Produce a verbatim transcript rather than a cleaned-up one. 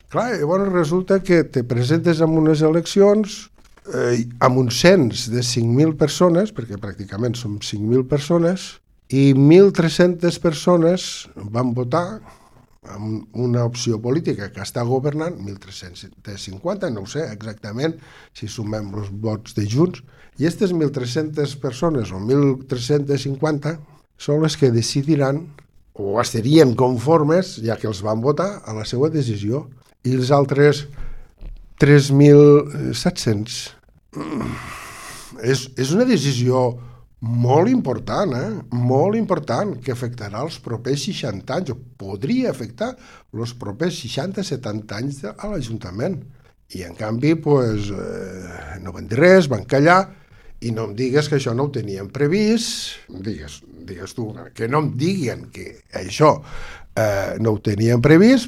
Clar, llavors resulta que te presentes en unes eleccions eh, amb un cens de cinc mil persones, perquè pràcticament som cinc mil persones, i mil tres-centes persones van votar amb una opció política que està governant, mil tres-cents cinquanta, no ho sé exactament si sumem els vots de Junts, i aquestes mil tres-centes persones o mil tres-cents cinquanta són les que decidiran o estarien conformes, ja que els van votar, a la seva decisió. I els altres tres mil set-cents és, és una decisió molt important, eh? molt important, que afectarà els propers seixanta anys, o podria afectar els propers seixanta setanta anys a l'Ajuntament. I en canvi, pues, eh, no van dir res, van callar, i no em digues que això no ho tenien previst, digues, digues tu, que no em diguen que això eh, no ho tenien previst,